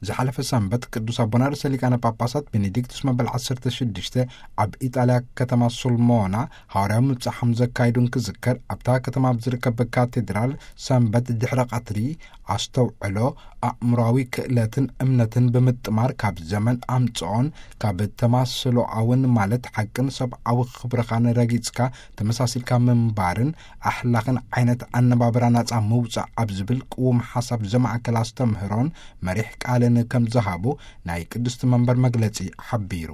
ዝሓለፈ ሰንበት ቅዱስ ኣቦና ርእሰ ሊቃነ ጳጳሳት ቤኔዲክቱስ መበል ዓሰርተ ሽዱሽተ ኣብ ኢጣልያ ከተማ ሱልሞና ሃዋርያዊ ምብጻሕም ዘካይዱ እንክዝከር፣ ኣብታ ከተማ ኣብ ዝርከብ ካቴድራል ሰንበት ድሕረ ቀትሪ ኣስተውዕሎ ኣእምሮዊ ክእለትን እምነትን ብምጥማር ካብ ዘመን ኣምጽኦን ካብ ተማስሎኣውን ማለት ሓቅን ሰብኣዊ ክብርኻን ረጊጽካ ተመሳሲልካ ምንባርን ኣሕላኽን ዓይነት ኣነባብራ ናጻ ምውጻእ ኣብ ዝብል ቅዉም ሓሳብ ዘማእከል ኣስተምህሮን መሪሕ ቃልን ከም ዝሃቡ ናይ ቅድስቲ መንበር መግለጺ ሓቢሩ።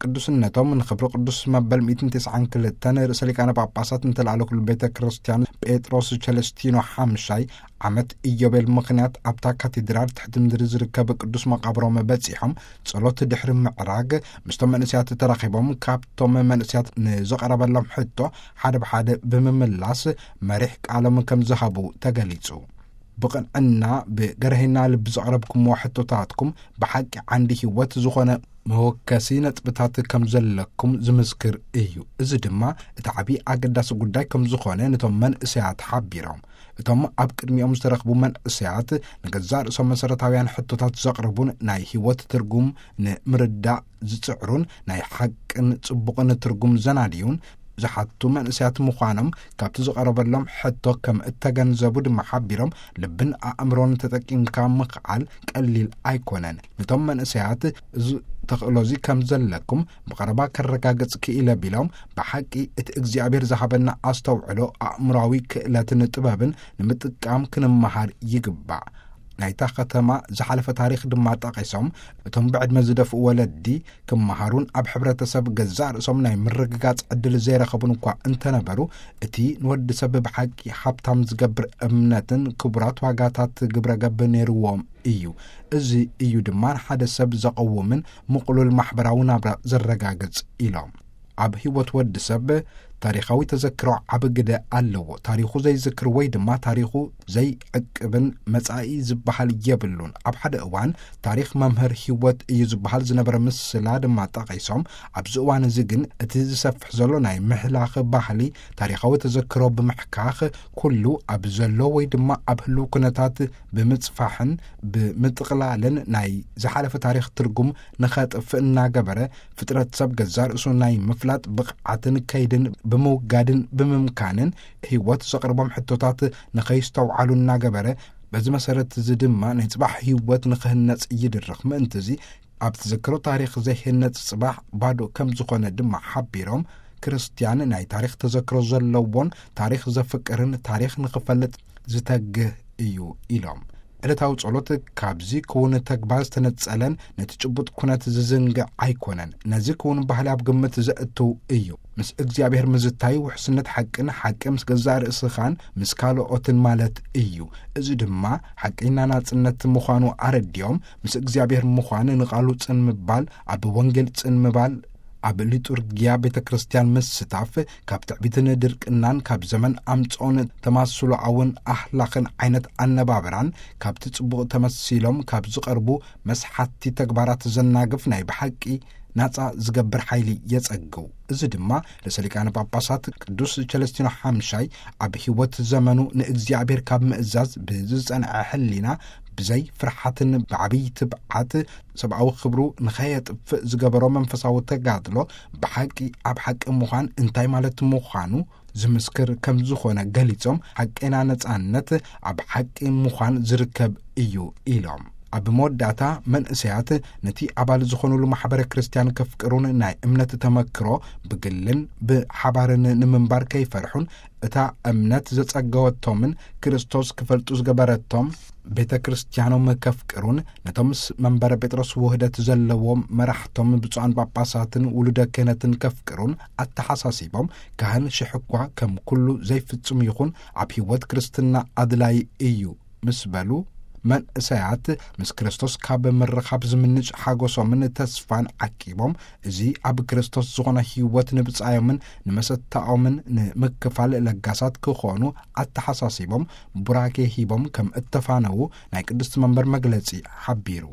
ቅዱስነቶም ንኽብሪ ቅዱስ መበል ሚእትን ተስዓን ክልተን ርእሰ ሊቃነ ጳጳሳት እንተለኣለኩሉ ቤተ ክርስቲያን ጴጥሮስ ቸለስቲኖ ሓምሻይ ዓመት ኢዮቤል ምኽንያት ኣብታ ካቴድራል ትሕቲ ምድሪ ዝርከብ ቅዱስ መቓብሮም በጺሖም ጸሎት ድሕሪ ምዕራግ ምስቶም መንእሰያት ተራኺቦም ካብቶም መንእሰያት ንዝቐረበሎም ሕቶ ሓደ ብሓደ ብምምላስ መሪሕ ቃሎም ከም ዝሃቡ ተገሊጹ። ብቕንዕና ብገርህና ልቢ ዘቕረብኩምዎ ሕቶታትኩም ብሓቂ ዓንዲ ህይወት ዝኾነ መወከሲ ነጥብታት ከም ዘለኩም ዝምስክር እዩ። እዚ ድማ እቲ ዓብዪ ኣገዳሲ ጉዳይ ከም ዝኾነ ነቶም መንእሰያት ሓቢሮም። እቶም ኣብ ቅድሚኦም ዝተረኽቡ መንእሰያት ንገዛእ ርእሶም መሰረታውያን ሕቶታት ዘቕርቡን ናይ ህይወት ትርጉም ንምርዳእ ዝጽዕሩን ናይ ሓቅን ጽቡቕን ትርጉም ዘናድዩን ዝሓቱ መንእሰያት ምዃኖም ካብቲ ዝቐረበሎም ሕቶ ከም እተገንዘቡ ድማ ሓቢሮም፣ ልብን ኣእምሮን ተጠቂምካ ምኽዓል ቀሊል ኣይኮነን። ነቶም መንእሰያት እዚ ተኽእሎዚ ከም ዘለኩም ብቐረባ ከረጋግጽ ክኢለ ቢሎም፣ ብሓቂ እቲ እግዚኣብሔር ዝሃበና ኣስተውዕሎ ኣእምሮዊ ክእለትን ጥበብን ንምጥቃም ክንመሃር ይግባእ። ናይታ ከተማ ዝሓለፈ ታሪኽ ድማ ጠቒሶም፣ እቶም ብዕድመ ዝደፍኡ ወለዲ ክመሃሩን ኣብ ሕብረተሰብ ገዛእ ርእሶም ናይ ምርግጋጽ ዕድል ዘይረኸቡን እኳ እንተነበሩ፣ እቲ ንወዲ ሰብ ብሓቂ ሃብታም ዝገብር እምነትን ክቡራት ዋጋታት ግብረ ገብ ነይርዎም እዩ። እዚ እዩ ድማ ንሓደ ሰብ ዘቐውምን ምቕሉል ማሕበራዊ ናብራ ዘረጋግጽ ኢሎም። ኣብ ህይወት ወዲ ሰብ ታሪኻዊ ተዘክሮ ዓቢ ግደ ኣለዎ። ታሪኹ ዘይዝክር ወይ ድማ ታሪኹ ዘይዕቅብን መጻኢ ዝበሃል የብሉን። ኣብ ሓደ እዋን ታሪኽ መምህር ህይወት እዩ ዝበሃል ዝነበረ ምስላ ድማ ጠቒሶም፣ ኣብዚ እዋን እዚ ግን እቲ ዝሰፍሕ ዘሎ ናይ ምሕላኽ ባህሊ ታሪኻዊ ተዘክሮ ብምሕካኽ ኩሉ ኣብ ዘሎ ወይ ድማ ኣብ ህልው ኩነታት ብምጽፋሕን ብምጥቕላልን ናይ ዝሓለፈ ታሪኽ ትርጉም ንኸጥፍእ እናገበረ ፍጥረት ሰብ ገዛእ ርእሱ ናይ ምፍላጥ ብቕዓትን ከይድን ብምውጋድን ብምምካንን ህይወት ዘቕርቦም ሕቶታት ንኸይስተውዓሉ እናገበረ፣ በዚ መሰረት እዚ ድማ ናይ ጽባሕ ህይወት ንኽህነጽ ይድርኽ። ምእንቲ እዚ ኣብ ትዝክሮ ታሪኽ ዘይህነጽ ጽባሕ ባዶ ከም ዝኾነ ድማ ሓቢሮም፣ ክርስትያን ናይ ታሪኽ ተዘክሮ ዘለዎን ታሪኽ ዘፍቅርን ታሪኽ ንኽፈልጥ ዝተግህ እዩ ኢሎም። ዕለታዊ ጸሎት ካብዚ ክውን ተግባር ዝተነጸለን ነቲ ጭቡጥ ኩነት ዝዝንግዕ ኣይኮነን። ነዚ ክውን ባህሊ ኣብ ግምት ዘእትው እዩ። ምስ እግዚኣብሔር ምዝታይ ውሕስነት ሓቅን ሓቂ ምስ ገዛእ ርእስኻን ምስ ካልኦትን ማለት እዩ። እዚ ድማ ሓቀኛ ናጽነት ምዃኑ ኣረዲኦም፣ ምስ እግዚኣብሔር ምዃን ንቓሉ ጽን ምባል፣ ኣብ ወንጌል ጽን ምባል፣ ኣብ ሊጡርጊያ ቤተ ክርስቲያን ምስታፍ፣ ካብ ትዕቢትን ድርቅናን፣ ካብ ዘመን ኣምጽኦን ተማስሎኣውን ኣህላኽን ዓይነት ኣነባብራን፣ ካብቲ ጽቡቕ ተመሲሎም ካብ ዝቐርቡ መስሓቲ ተግባራት ዘናግፍ ናይ ብሓቂ ናጻ ዝገብር ሓይሊ የጸግው። እዚ ድማ ርእሰ ሊቃነ ጳጳሳት ቅዱስ ቸለስቲኖ ሓምሻይ ኣብ ህይወት ዘመኑ ንእግዚኣብሔር ካብ ምእዛዝ ብዝጸንዐ ሕሊና ብዘይ ፍርሓትን ብዓብይ ትብዓት ሰብኣዊ ክብሩ ንኸየጥፍእ ዝገበሮ መንፈሳዊ ተጋድሎ ብሓቂ ኣብ ሓቂ ምዃን እንታይ ማለት ምዃኑ ዝምስክር ከም ዝኾነ ገሊጾም፣ ሓቀና ነጻነት ኣብ ሓቂ ምዃን ዝርከብ እዩ ኢሎም። ኣብ መወዳእታ መንእሰያት ነቲ ኣባል ዝኾኑሉ ማሕበረ ክርስቲያን ከፍቅሩን ናይ እምነት ተመክሮ ብግልን ብሓባርን ንምንባር ከይፈርሑን እታ እምነት ዘጸገወቶምን ክርስቶስ ክፈልጡ ዝገበረቶም ቤተ ክርስቲያኖም ከፍቅሩን ነቶም ምስ መንበረ ጴጥሮስ ውህደት ዘለዎም መራሕቶም ብፁዓን ጳጳሳትን ውሉደ ክህነትን ከፍቅሩን ኣተሓሳሲቦም፣ ካህን ሽሕ እኳ ከም ኩሉ ዘይፍጹም ይኹን ኣብ ሕይወት ክርስትና ኣድላይ እዩ ምስ በሉ፣ መንእሰያት ምስ ክርስቶስ ካብ ምርኻብ ዝምንጭ ሓጎሶምን ተስፋን ዓቂቦም፣ እዚ ኣብ ክርስቶስ ዝኾነ ሕይወት ንብጻዮምን ንመሰታኦምን ንምክፋል ለጋሳት ክኾኑ ኣተሓሳሲቦም፣ ቡራኬ ሂቦም ከም እተፋነዉ ናይ ቅድስቲ መንበር መግለጺ ሓቢሩ።